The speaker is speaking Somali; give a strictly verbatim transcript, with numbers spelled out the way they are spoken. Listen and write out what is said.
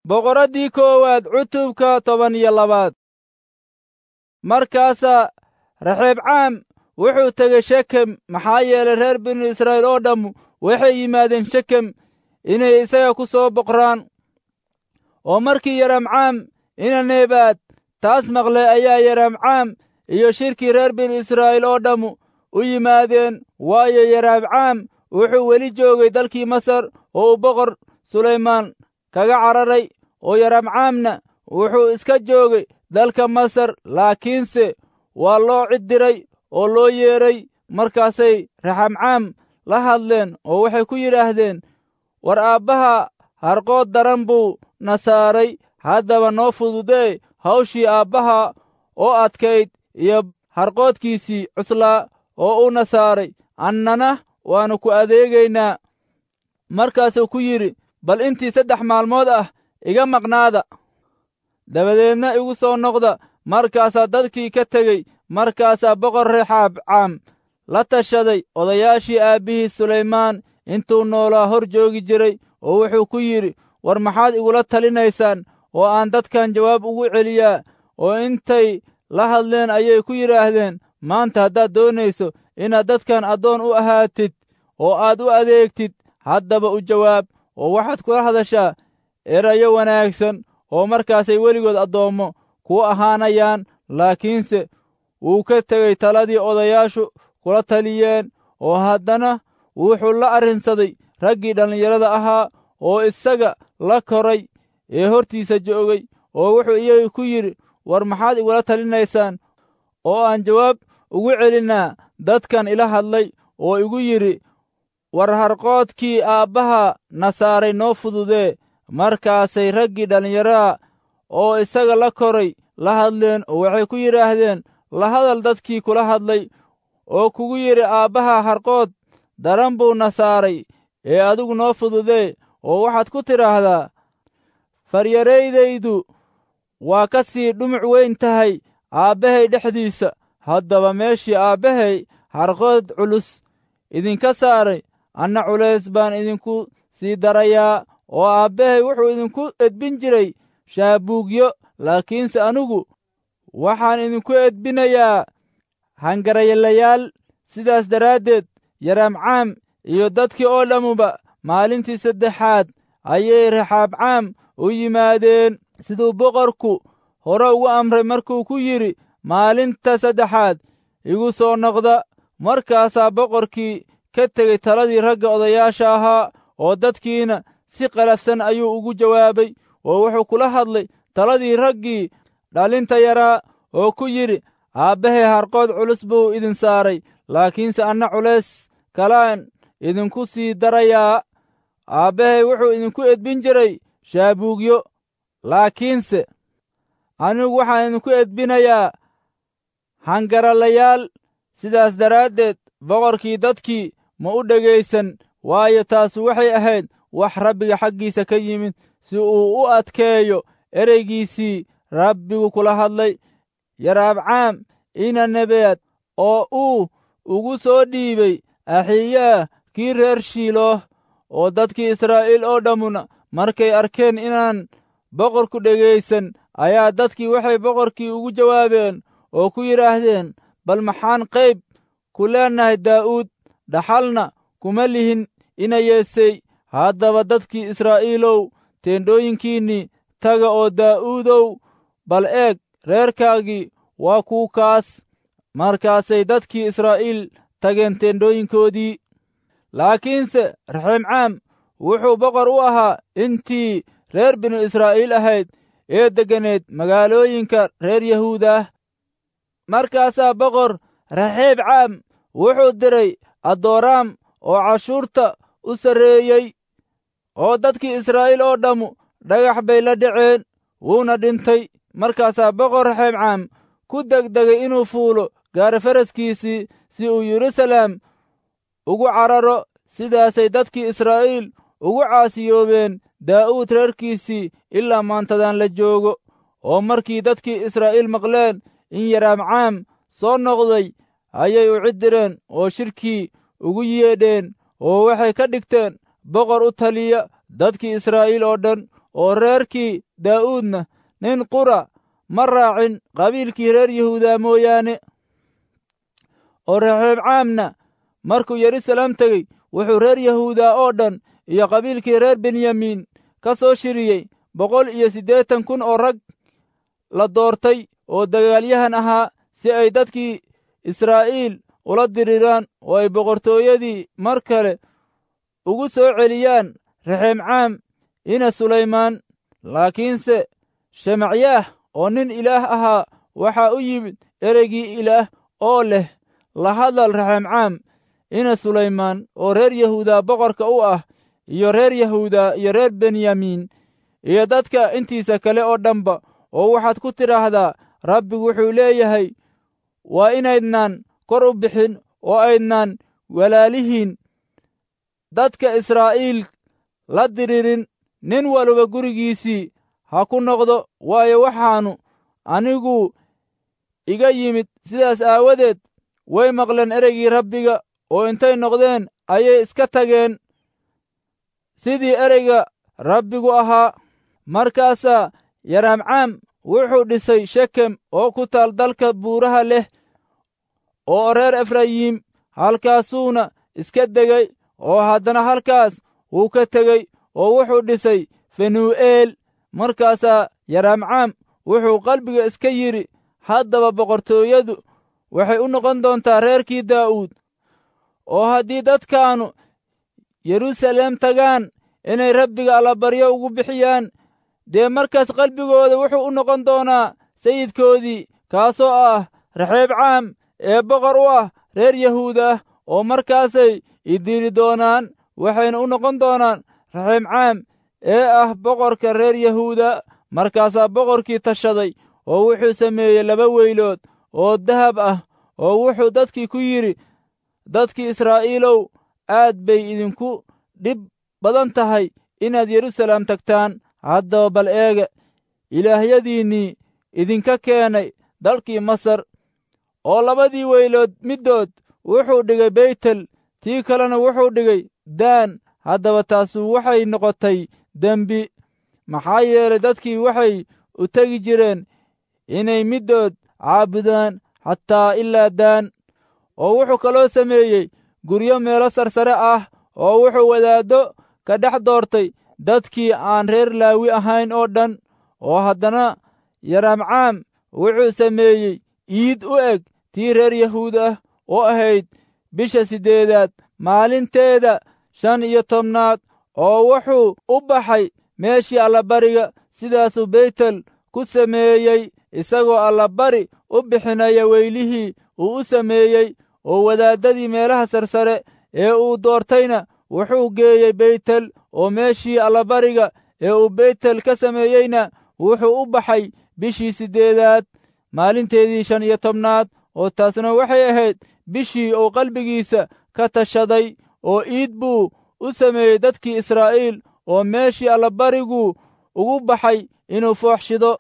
Boqoraddii koowaad cutubka toban iyo labaad. Markaasaa Raxeebcaam wuxuu tegey Shekem, maxaa yeelay reer binu Israa'iil oo dhammu waxay yimaadeen Shekem inay isaga ku soo boqraan. Oo markii Yaramcaam ina Nebaad taas maqlay ayaa Yaramcaam iyo shirkii reer binu Israa'iil oo dhammu u yimaadeen, waayo Yaramcaam wuxuu weli joogay dalkii Masar oo uu boqor Sulaymaan kaga cararay, oo Yaramcaamna wuxuu iska joogay dalka Masar, laakiinse waa loo cid diray oo loo yeedhay. Markaasay Raxamcaam la hadleen oo waxay ku yidhaahdeen, war aabbaha harqood daran buu na saaray, haddaba noo fududee hawshii aabbaha oo adkayd iyo harqoodkiisii cuslaa oo uuna saaray, annana waannu ku adeegaynaa. Markaasuu ku yidhi, bal intii saddex maalmood ah iga maqnaada, dabadeedna igu soo noqda. Markaasaa dadkii ka tegey. Markaasaa boqor Rexaabcaam la tashaday odayaashii aabbihii Sulaymaan intuu noolaa hor joogi jiray, oo wuxuu ku yidhi, war maxaad igula talinaysaan oo aan dadkan jawaab ugu celiyaa? Oo intay la hadleen ayay ku yidhaahdeen, maanta haddaad doonayso inaad dadkan addoon u ahaatid oo aad u adeegtid, haddaba u jawaab, oo waxaad kula hadashaa erayo wanaagsan, oo markaasay weligood addoommo kuu ahaanayaan. Laakiinse wuu ka tegey taladii odayaashu kula taliyeen, oo haddana wuxuu la arrinsaday raggii dhallinyarada ahaa oo isaga la koray ee hortiisa joogay, oo wuxuu iyaga ku yidhi, war maxaad igula talinaysaan oo aan jawaab ugu celinnaa dadkan ila hadlay oo igu yidhi, war harqoodkii aabbaha na saaray noo fududee? Markaasay raggii dhallinyarada oo isaga la koray la hadleen oo waxay ku yidhaahdeen, la hadal dadkii kula hadlay oo kugu yidhi, aabbaha harqood daran buu na saaray ee adigu noo fududee, oo waxaad ku tidhaahdaa, faryaraydaydu waa ka sii dhumuc weyn tahay aabbahay dhexdiisa. Haddaba meeshii aabbahay harqood culus idinka saaray, anna culays baan idinku sii darayaa. Oo aabbahay wuxuu idinku edbin jiray shaabuugyo, laakiinse anigu waxaan idinku edbinayaa hangaraylayaal. Sidaas daraaddeed Yaramcaam iyo dadkii oo dhammuba maalintii saddexaad ayay Raxaabcaam u yimaadeen, siduu boqorku hore ugu amray markuu ku yidhi, maalinta saddexaad igu soo noqda. Markaasaa boqorkii ka tegey taladii ragga odayaasha ahaa, oo dadkiina si qalafsan ayuu ugu jawaabay, oo wuxuu kula hadlay taladii raggii dhalinta yaraa oo ku yidhi, aabbahay harqood culus buu idin saaray, laakiinse anna culays kalaan idinku sii darayaa. Aabbahay wuxuu idinku edbin jiray shaabuugyo, laakiinse anigu waxaan idinku edbinayaa hangaralayaal. Sidaas daraaddeed boqorkii dadkii ma u dhegaysan, waayo taasu waxay ahayd wax Rabbiga xaggiisa ka yimid, si uu u adkeeyo ereygiisii Rabbigu kula hadlay Yaraabcaam ina Nebaad, oo uu ugu soo dhiibay Axiyaah kii reer Shiilooh. Oo dadkii Israa'iil oo dhammuna markay arkeen inaan boqorku dhegaysan, ayaa dadkii waxay boqorkii ugu jawaabeen oo ku yidhaahdeen, bal maxaan qayb ku leenahay Daa'uud? Dhaxalna kuma lihin ina Yeesey. Haddaba dadkii Israa'iilow, teendhooyinkiinnii taga, oo Daa'uudow, bal eeg, reerkaagii waa kuu kaas. Markaasay dadkii Israa'iil tageen teendhooyinkoodii. Laakiinse Raxeemcaam wuxuu boqor u ahaa intii reer binu Israa'iil ahayd ee degganeed magaalooyinka reer Yahuudah. Markaasaa boqor Raxeebcaam wuxuu diray Adoraam oo cashuurta u sarreeyey, oo dadkii Israa'iil oo dhammu dhagax bay la dhaceen, wuuna dhintay. Markaasaa boqor Raxeebcaam ku degdegay inuu fuulo gaari faraskiisii si uu Yeruusalaam ugu cararo. Sidaasay dadkii Israa'iil ugu caasiyoobeen Daa'uud reerkiisii ilaa maantadan la joogo. Oo markii dadkii Israa'iil maqleen in Yaraamcaam soo noqday, ayay u cid direen oo shirkii ugu yeedheen, oo waxay ka dhigteen boqor u taliya dadkii Israa'iil oo dhan. oo reerkii Daa'uudna nin qura ma raacin qabiilkii reer Yahuuda mooyaane. Oo Rexeebcaamna markuu Yeruusaalem tegey, wuxuu reer Yahuuda oo dhan iyo qabiilkii reer Benyamiin ka soo shiriyey boqol iyo siddeetan kun oo rag la doortay oo dagaalyahan ahaa, si ay dadkii Israa'iil ula diriraan oo ay boqortooyadii mar kale ugu soo celiyaan Rexeebcaam ina Sulaymaan. Laakiinse Shemacyaah oo nin Ilaah ahaa waxaa u yimid ereygii Ilaah oo leh, la hadal Rexeebcaam ina Sulaymaan oo reer Yahuuda boqorka u ah, iyo reer Yahuuda iyo reer Benyamiin iyo dadka intiisa kale oo dhanba, oo waxaad ku tidhaahdaa, Rabbigu wuxuu leeyahay, waa inaydnaan kor u bixin oo aydnaan walaalihiin dadka Israa'iil la diririn. Nin waliba gurigiisii ha ku noqdo, waayo waxaannu anigu iga yimid. Sidaas aawadeed way maqleen ereygii Rabbiga, oo intay noqdeen ayay iska tageen sidii ereyga Rabbigu ahaa. Markaasaa Yaraamcaam wuxuu dhisay Shekem oo ku taal dalka buuraha leh oo reer Efrayiim, halkaasuuna iska degay. Oo haddana halkaas wuu ka tegey oo wuxuu dhisay Fenuu'eel. Markaasaa Yaraamcaam wuxuu qalbiga iska yidhi, haddaba boqortooyadu waxay u noqon doontaa reerkii Daa'uud, oo haddii dadkaannu Yeruusaalem tagaan inay Rabbiga allabaryo ugu bixiyaan, dee markaas qalbigooda wuxuu u noqon doonaa sayidkoodii, kaasoo ah Rexeebcaam ee boqor u ah reer Yahuuda, oo markaasay i dili doonaan, waxayna u noqon doonaan Rexeebcaam ee ah boqorka reer Yahuuda. Markaasaa boqorkii tashaday oo wuxuu sameeyey laba weylood oo dahab ah, oo wuxuu dadkii ku yidhi, dadkii Israa'iilow, aad bay idinku dhib badan tahay inaad Yeruusaalem tagtaan. Haddaba bal eega ilaahyadiinnii idinka keenay dalkii Masar. Oo labadii weylood middood wuxuu dhigay Beytel, tii kalena wuxuu dhigay Daan. Haddaba taasu waxay noqotay dembi, maxaa yeelay dadkii waxay u tegi jireen inay middood caabudaan xataa ilaa Daan. Oo wuxuu kaloo sameeyey guryo meelo sarsare ah, oo wuxuu wadaaddo ka dhex doortay dadkii aan reer Laawi ahayn oo dhan. Oo haddana Yaraamcaam wuxuu sameeyey iid u eg tii reer Yahuud ah oo ahayd bisha siddeedaad maalinteeda shan iyo tobnaad, oo wuxuu u baxay meeshii allabariga. Sidaasuu Beytel ku sameeyey isagoo allabari u bixinaya weylihii uu u sameeyey. Oo wadaaddadii meelaha sarsare ee uu doortayna wuxuu geeyey Beytel, oo meeshii allabariga ee uu Beytel ka sameeyeyna wuxuu u baxay bishii siddeedaad maalinteedii shan iyo tobnaad, oo taasna waxay ahayd bishii uu qalbigiisa ka tashaday. Oo iid buu u sameeyey dadkii Israa'iil, oo meeshii allabarigu ugu baxay inuu foox shido.